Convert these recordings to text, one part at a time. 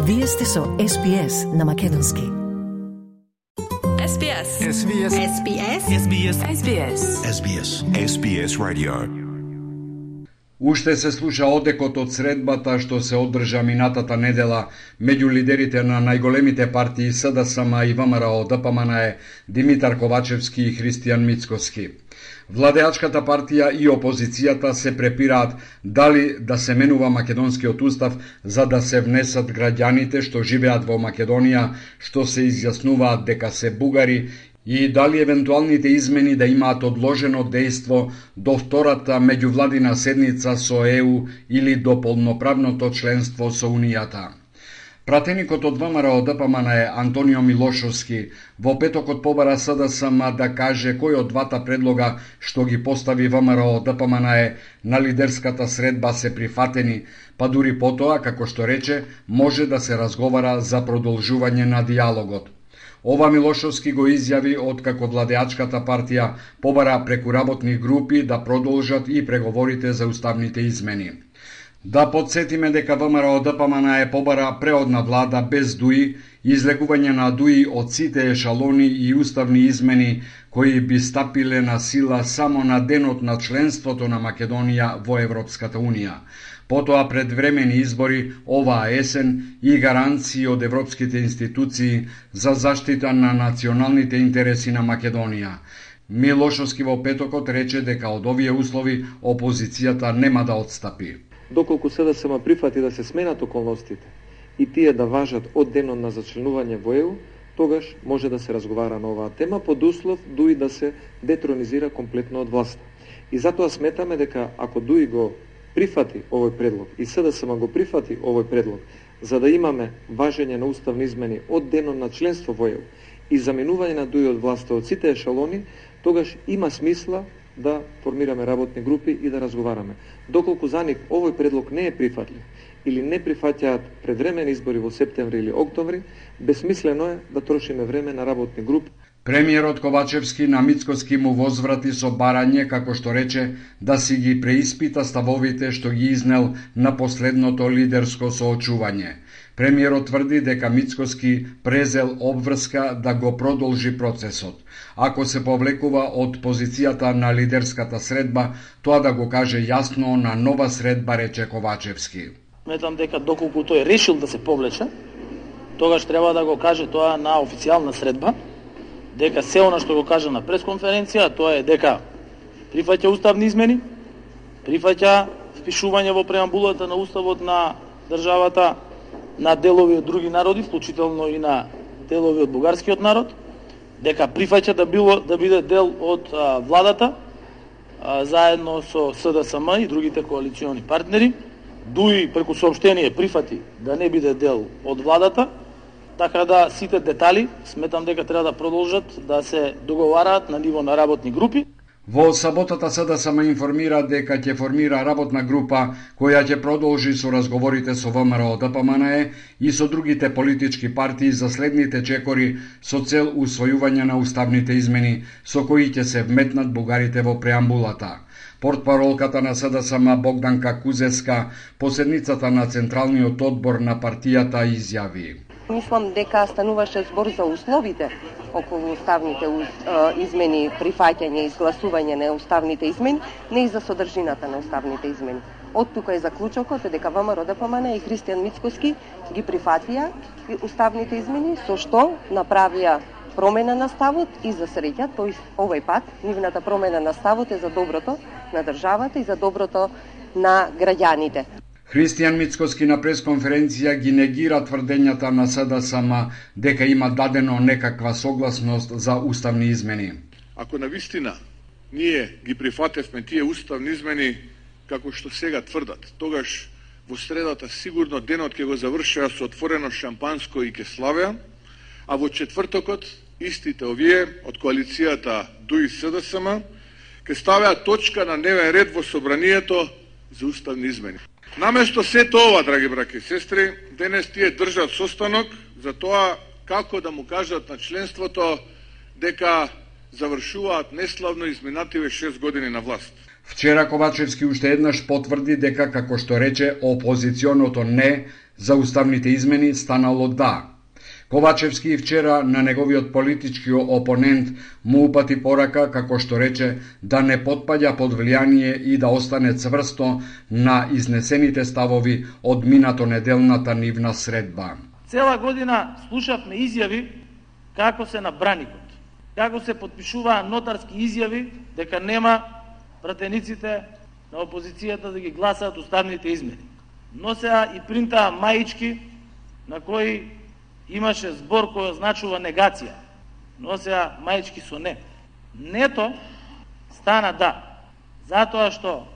Вие сте со SPS на македонски. SBS. SBS. SBS. SBS. SBS. SBS. SBS Radio. Уште се слуша одекот од средбата што се одржа минатата недела меѓу лидерите на најголемите партии СДСМ и ВМРО-ДПМНЕ Димитар Ковачевски и Христијан Мицкоски. Владеачката партија и опозицијата се препираат дали да се менува македонскиот устав за да се внесат граѓаните што живеат во Македонија, што се изјаснуваат дека се бугари, и дали евентуалните измени да имаат одложено дејство до втората меѓувладина седница со ЕУ или до полноправното членство со Унијата. Пратеникот од ВМРО-ДПМНЕ Антонио Милошовски во петокот побара СДСМ да каже кој од двата предлога што ги постави ВМРО-ДПМНЕ на лидерската средба се прифатени, па дури потоа, како што рече, може да се разговара за продолжување на диалогот. Ова Милошовски го изјави откако владеачката партија побара преку работни групи да продолжат и преговорите за уставните измени. Да подсетиме дека ВМРО-ДПМНЕ побара преодна влада без ДУИ, излегување на ДУИ од сите ешалони и уставни измени кои би стапиле на сила само на денот на членството на Македонија во Европската Унија. Потоа предвремени избори оваа есен и гаранции од европските институции за заштита на националните интереси на Македонија. Милошовски во петокот рече дека од овие услови опозицијата нема да отстапи. Доколку СДСМ прифати да се сменат околностите и тие да важат од денот на зачленување во ЕУ, тогаш може да се разговара на оваа тема под услов ДУИ да се детронизира комплетно од власта. И затоа сметаме дека ако ДУИ го прифати овој предлог и СДСМ го прифати овој предлог за да имаме важење на уставни измени од денот на членство во ЕУ и заменување на ДУИ од власта од сите ешалони, тогаш има смисла да формираме работни групи и да разговараме. Доколку за нив овој предлог не е прифатлив или не прифаќаат предвремени избори во септември или октомври, бесмислено е да трошиме време на работни групи. Премиерот Ковачевски на Мицкоски му возврати со барање, како што рече, да си ги преиспита ставовите што ги изнел на последното лидерско соочување. Премиерот тврди дека Мицкоски презел обврска да го продолжи процесот. Ако се повлекува од позицијата на лидерската средба, тоа да го каже јасно на нова средба, рече Ковачевски. Сметам дека доколку тој решил да се повлече, тогаш треба да го каже тоа на официјална средба, дека се она што го кажа на пресконференција, тоа е дека прифаќа уставни измени, прифаќа впишување во преамбулата на уставот на државата на делови од други народи, вклучително и на делови од бугарскиот народ, дека прифаќа да биде дел од владата заедно со СДСМ и другите коалициони партнери. ДУИ преку соопштение прифати да не биде дел од владата, така да сите детали сметам дека треба да продолжат да се договараат на ниво на работни групи. Во саботата СДСМ информира дека ќе формира работна група која ќе продолжи со разговорите со ВМРО-ДПМНЕ и со другите политички партии за следните чекори со цел усвојување на уставните измени со кои ќе се вметнат бугарите во преамбулата. Портпаролката на СДСМ Богданка Кузеска по седницата на Централниот одбор на партијата изјави: Мислам дека стануваше збор за условите околу уставните измени, прифаќање и изгласување на уставните измени, не и за содржината на уставните измени. Од тука е заклучокот дека ВМРО-ДПМНЕ и Христијан Мицкоски ги прифатија уставните измени, со што направија промена на ставот и за среќа, тој овој пат нивната промена на ставот е за доброто на државата и за доброто на граѓаните. Христијан Мицкоски на пресконференција ги негира тврдењата на СДСМ дека има дадено некаква согласност за уставни измени. Ако навистина ние ги прифатевме тие уставни измени како што сега тврдат, тогаш во средата сигурно денот ќе го завршеа со отворено шампанско и ќе славеа, а во четвртокот истите овие од коалицијата ДУИ СДСМ ќе ставеа точка на дневен ред во собранието за уставни измени. Наместо сето ова, драги браќи и сестри, денес тие држат состанок за тоа како да му кажат на членството дека завршуваат неславно изминативе 6 години на власт. Вчера Ковачевски уште еднаш потврди дека, како што рече, опозиционото не за уставните измени станало да. Ковачевски вчера на неговиот политички опонент му упати порака, како што рече, да не потпаѓа под влијание и да остане цврсто на изнесените ставови од минато неделната нивна средба. Цела година слушавме изјави како се на браникот, како се потпишуваа нотарски изјави дека нема пратениците на опозицијата да ги гласаат уставните измени. Носеа и принтаа маички на кои имаше збор кој означува негација. Носеа маички со не. Нето стана да, затоа што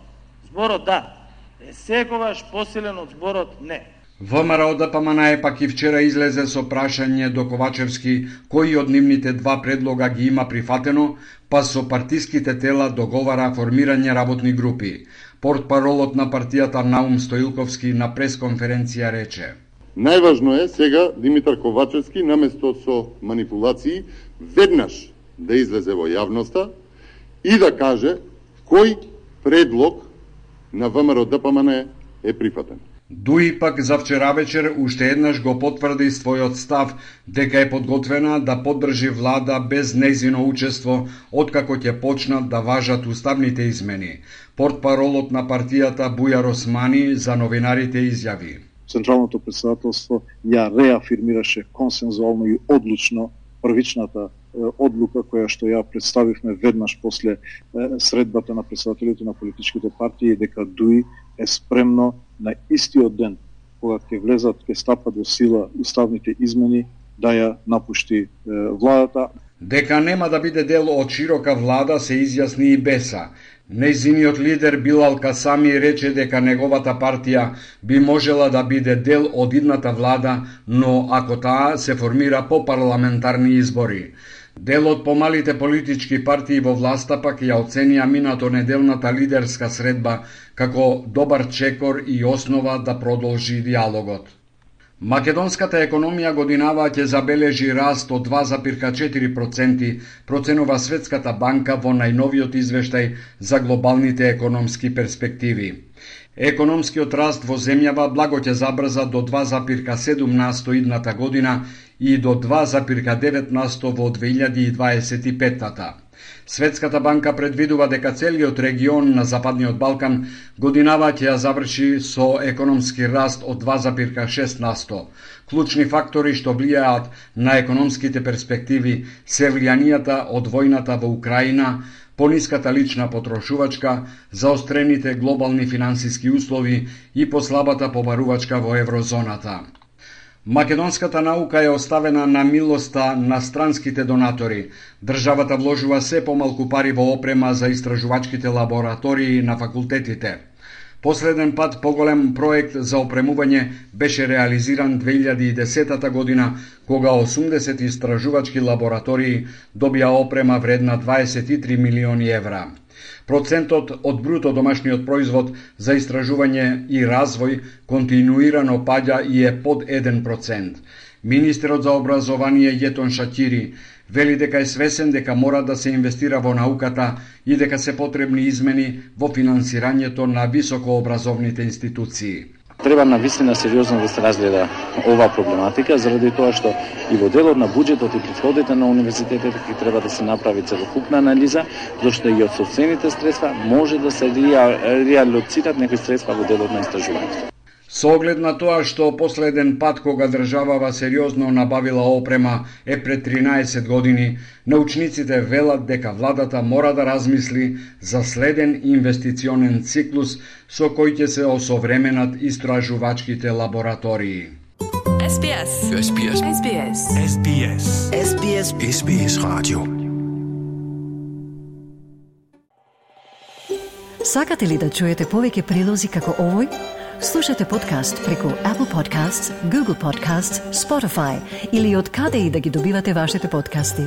зборот да е секогаш посилен од зборот не. ВМРО ДПМН пак и вчера излезе со прашање до Ковачевски кои од нивните два предлога ги има прифатено, па со партиските тела договара формирање работни групи. Портпаролот на партијата Наум Стоилковски на пресконференција рече: Најважно е сега Димитар Ковачевски, наместо со манипулации, веднаш да излезе во јавноста и да каже кој предлог на ВМРО ДПМН е прифатен. Дуи пак за вчера вечер уште еднаш го потврди својот став дека е подготвена да поддржи влада без нејзино учество откако ќе почнат да важат уставните измени. Портпаролот на партијата Бујар Османи за новинарите изјави: Централното претседателство ја реафирмираше консензуално и одлучно првичната одлука која што ја представивме веднаш после средбата на претседателите на политичките партии, дека ДУИ е спремно на истиот ден кога ќе влезат, ќе стапат во сила уставните измени, да ја напушти владата. Дека нема да биде дел од широка влада се изјасни и Беса. Нејзиниот лидер Билал Касами рече дека неговата партија би можела да биде дел од идната влада, но ако таа се формира по парламентарни избори. Дел од помалите политички партии во власта пак ја оценија минато неделната лидерска средба како добар чекор и основа да продолжи диалогот. Македонската економија годинава ќе забележи раст од 2,4%, проценува Светската банка во најновиот извештај за глобалните економски перспективи. Економскиот раст во земјава благо ќе забрза до 2,7% идната година и до 2,9% во 2025-та. Светската банка предвидува дека целиот регион на Западниот Балкан годинава ќе ја заврши со економски раст од 2,6%. Клучни фактори што влијаат на економските перспективи се влијанијата од војната во Украина, пониската лична потрошувачка, заострените глобални финансиски услови и послабата побарувачка во еврозоната. Македонската наука е оставена на милоста на странските донатори. Државата вложува се помалку пари во опрема за истражувачките лаборатории на факултетите. Последен пат поголем проект за опремување беше реализиран 2010 година, кога 80 истражувачки лаборатории добија опрема вредна 23 милиони евра. Процентот од бруто домашниот производ за истражување и развој континуирано паѓа и е под 1%. Министерот за образование Јетон Шакири вели дека е свесен дека мора да се инвестира во науката и дека се потребни измени во финансирањето на високообразовните институции. Треба навистина сериозно да се разгледа оваа проблематика, заради тоа што и во делот на буџетот и приходите на универзитетите ќе треба да се направи целокупна анализа, зашто и од сопствените средства може да се реалоцират некои средства во делот на истражувањето. Со оглед на тоа што последен пат кога државава сериозно набавила опрема е пред 13 години, научниците велат дека владата мора да размисли за следен инвестиционен циклус со кој ќе се осовременат истражувачките лаборатории. SBS. SBS. SBS. SBS. SBS. SBS Radio. Сакате ли да чуете повеќе прилози како овој? Слушате подкаст преку Apple Podcasts, Google Podcasts, Spotify или од каде и да ги добивате вашите подкасти.